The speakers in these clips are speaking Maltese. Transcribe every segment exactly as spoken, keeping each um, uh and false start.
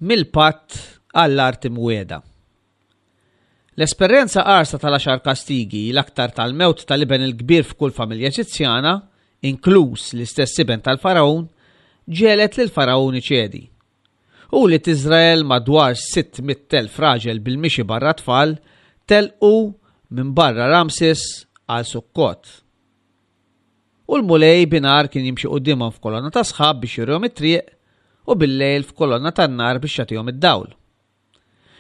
Mill-patt għall-art imwiegħda. L-esperjenza qarsa tal-għaxar kastigi, l-aktar tal-mewt tal-iben il-kbir f'kull familja Eġizzjana, inkluż l-istess iben tal-Faraon, ġegħlet lil Faraon iċedi. U wlied Iżrael madwar sitt mitt elf raġel bil-mixi barra tfal telqu minn barra Ramses għal Sukkot. U l-Mulej binhar kien jimxi quddiemhom f'kolonna ta' sħab biex jurihom it-triq u bil-lejl f'kolonna tan-nar biex jagħtihom id-dawl.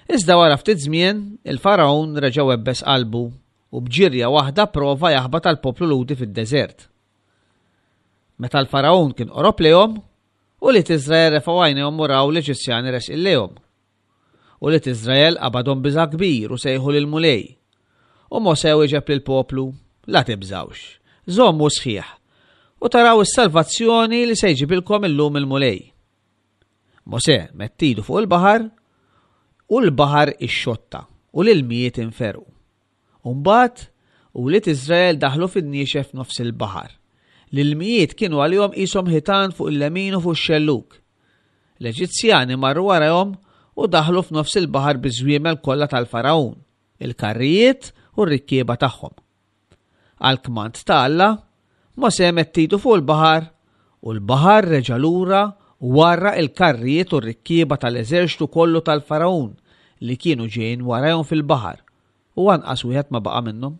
Iżda wara ftit żmien, il-Faraon reġa' webbes qalbu u b'ġirja waħda prova jaħbat għall-poplu Lhudi fid-deżert. Meta l-Faraon kien qorob lejhom, ulied Iżrael refgħu għajnejhom u raw l-Eġizzjani resqin lejhom. Ulied Iżrael qabadhom biża' kbir u sejħu lill-Mulej. U Mosè wieġeb lill-poplu, La tibżgħux, żommu sħiħ, u taraw is-salvazzjoni li se jġibilkom illum il-Mulej. Mosè medd idu fuq il-baħar, u l-baħar ixxotta, u l-ilmijiet inferqu. U mbagħad ulied Iżrael daħlu fin-niexef nofs il-baħar. L-ilmijiet kienu għalihom qishom ħitan fuq il-lemin u fuq ix-xellug. L-Eġizzjani marru warahom u daħlu f'nofs il-baħar biż-żwiemel kollha tal-Faraon, il-karrijiet u r-rikkieba tagħhom. Għall-kmand ta' Alla, Mosè medd idu fuq il-baħar u l-baħar reġa' lura u għarraq il-karrijiet u r-rikkieba tal-eżerċtu kollu tal-Faraon li kienu ġejjin warajhom fil-baħar, u anqas wieħed ma baqa' minnhom.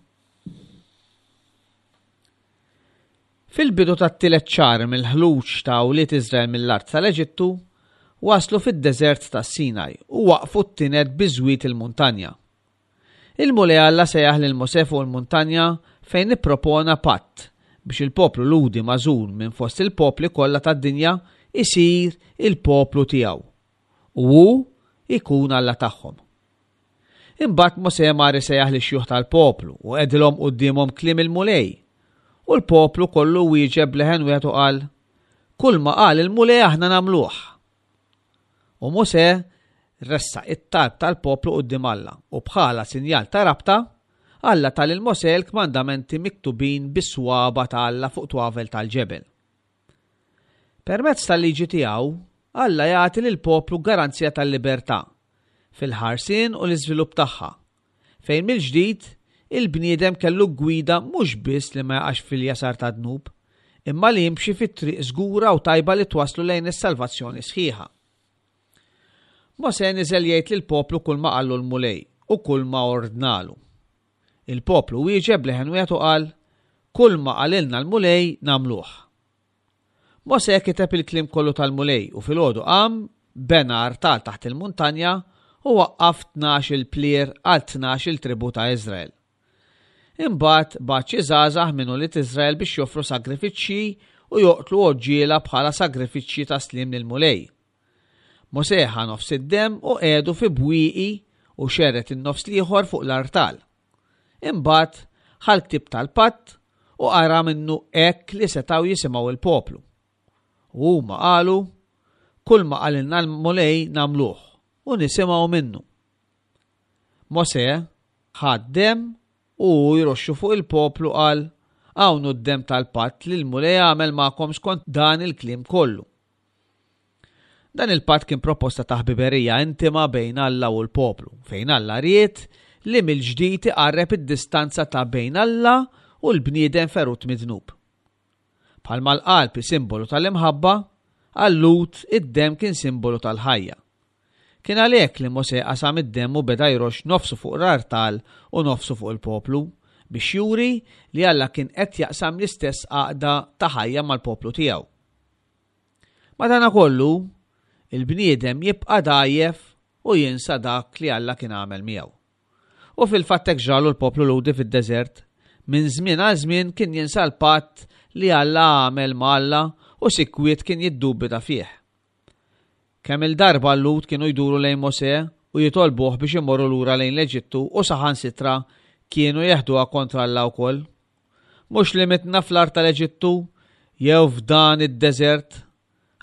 Fil-bidu tat-tielet xahar mill-ħluġ ta' wlied Iżrael mill-art tal-Eġittu, waslu fid-deżert tas-Sinaj u waqfu t-tined biżwiet il-muntanja. Il-Mulej Alla sejjaħ lil Mosè fuq il-muntanja fejn ippropona patt biex il-poplu Lhudi magħżul minn fost il-popli kollha tad-dinja isir il-poplu tiegħu u hu ikun Alla tagħhom. Imbagħad Mosè mar isejjaħ lix-xjuħ tal-poplu u qegħdilhom quddiemhom kliem il-Mulej. U l-poplu kollu wieġeb b'leħen wieħed u qal, Kull ma qal il-Mulej aħna nagħmluh. U Mosè ressaq it-talb tal-poplu quddiem Alla u bħala sinjal ta' rabta, Alla ta lil Mosè l-kmandamenti miktubin bis-swaba ta' Alla fuq twavel tal-ġebel. Permezz tal-liġi tiegħu, Alla jagħti lill-poplu garanzija tal-libertà fil-ħarsien u l-iżvilupp tagħha, fejn mill-ġdid il-bniedem kellu gwida mhux biss li ma jaqax fil-jasar ta' dnub, imma li jimxi fit-triq żgura u tajba li twaslu lejn is-salvazzjoni sħiħa. Mosè niżel jgħid lill-poplu kull ma qallu l-Mulej u kull ma ordnalu. Il-poplu wieġeb b'leħen wieħed u qal, Kull ma qalilna l-Mulej nagħmluh. Mosè kiteb il-kliem kollu tal-Mulej u filgħodu qam, bena artal taħt il-muntanja u waqqaf tnax il-plier għal tnax il-tribu ta' Iżrael. Imbagħad bagħat xi żgħażagħ minn ulied Iżrael biex joffru sagrifiċċji u joqtlu għoġġiela bħala sagrifiċċji ta' sliem lill-Mulej. Mosè ħa nofs id-demm u qiegħdu fi bwieqi u xerred in-nofs l-ieħor fuq l-artal. Imbagħad ħa l-ktieb tal-patt u qara minnu hekk li setgħu jisimgħu il-poplu. U huma qalu, Kull ma qalilna l-Mulej nagħmluh u nisimgħu minnu. Mosè ħa d-demm u hu jroxxu fuq il-poplu qal, Hawn hu d-demm tal-patt li l-Mulej għamel magħkom skont dan il-kliem kollu. Dan il-patt kien proposta ta' ħbiberija intima bejn Alla u l-poplu, fejn Alla ried li mill-ġdid iqarreb id-distanza ta' bejn Alla u l-bniedem ferut mid-dnub. Bħalma l-qalb hi simbolu tal-imħabba, għal-Lhud id-demm kien simbolu tal-ħajja. Kien għalhekk li Mosè qasam id-demm u beda jroxx nofsu fuq l-artal u nofsu fuq il-poplu, biex juri li Alla kien qed jaqsam l-istess għaqda ta' ħajja mal-poplu tiegħu. Madanakollu, il-bniedem jibqa' dgħajjef u jinsa dak li Alla kien għamel miegħu. U fil-fatt hekk ġralu l-poplu Lhudi fid-deżert. Minn żmien għal żmien kien jinsa l-patt li Alla għamel ma' Alla u sikwit kien jiddubita fih. Kemm il-darba l-Lhud kienu jduru lejn Mosè u jitolbuh biex imorru lura lejn l-Eġittu u saħansitra kienu jeħduha kontra Alla wkoll. Mhux li mitna fl-art tal-Eġittu jew f'dan id-deżert,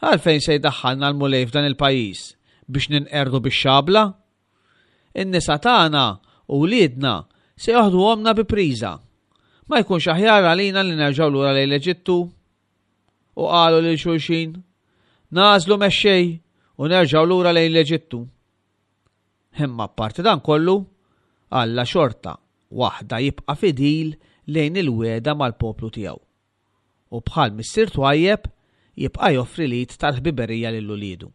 għalfejn se jdaħħalna l-Mulej f'dan il-pajjiż biex ninqerdu bix-xabla? In-nisa tagħna u wliedna se joħduhomna bi priża. Ma jkunx aħjar għalina li nerġgħu lura lejn l-Eġittu? U qalu lil xulxin, Nagħżlu mexxej u nerġgħu lura lejn l-Eġittu. Imma apparti dan kollu, Alla xorta waħda jibqa' fidil lejn il-wegħda mal-poplu tiegħu. U bħal missier twajjeb jibqa' joffri l-id tal-ħbiberija lil uliedu.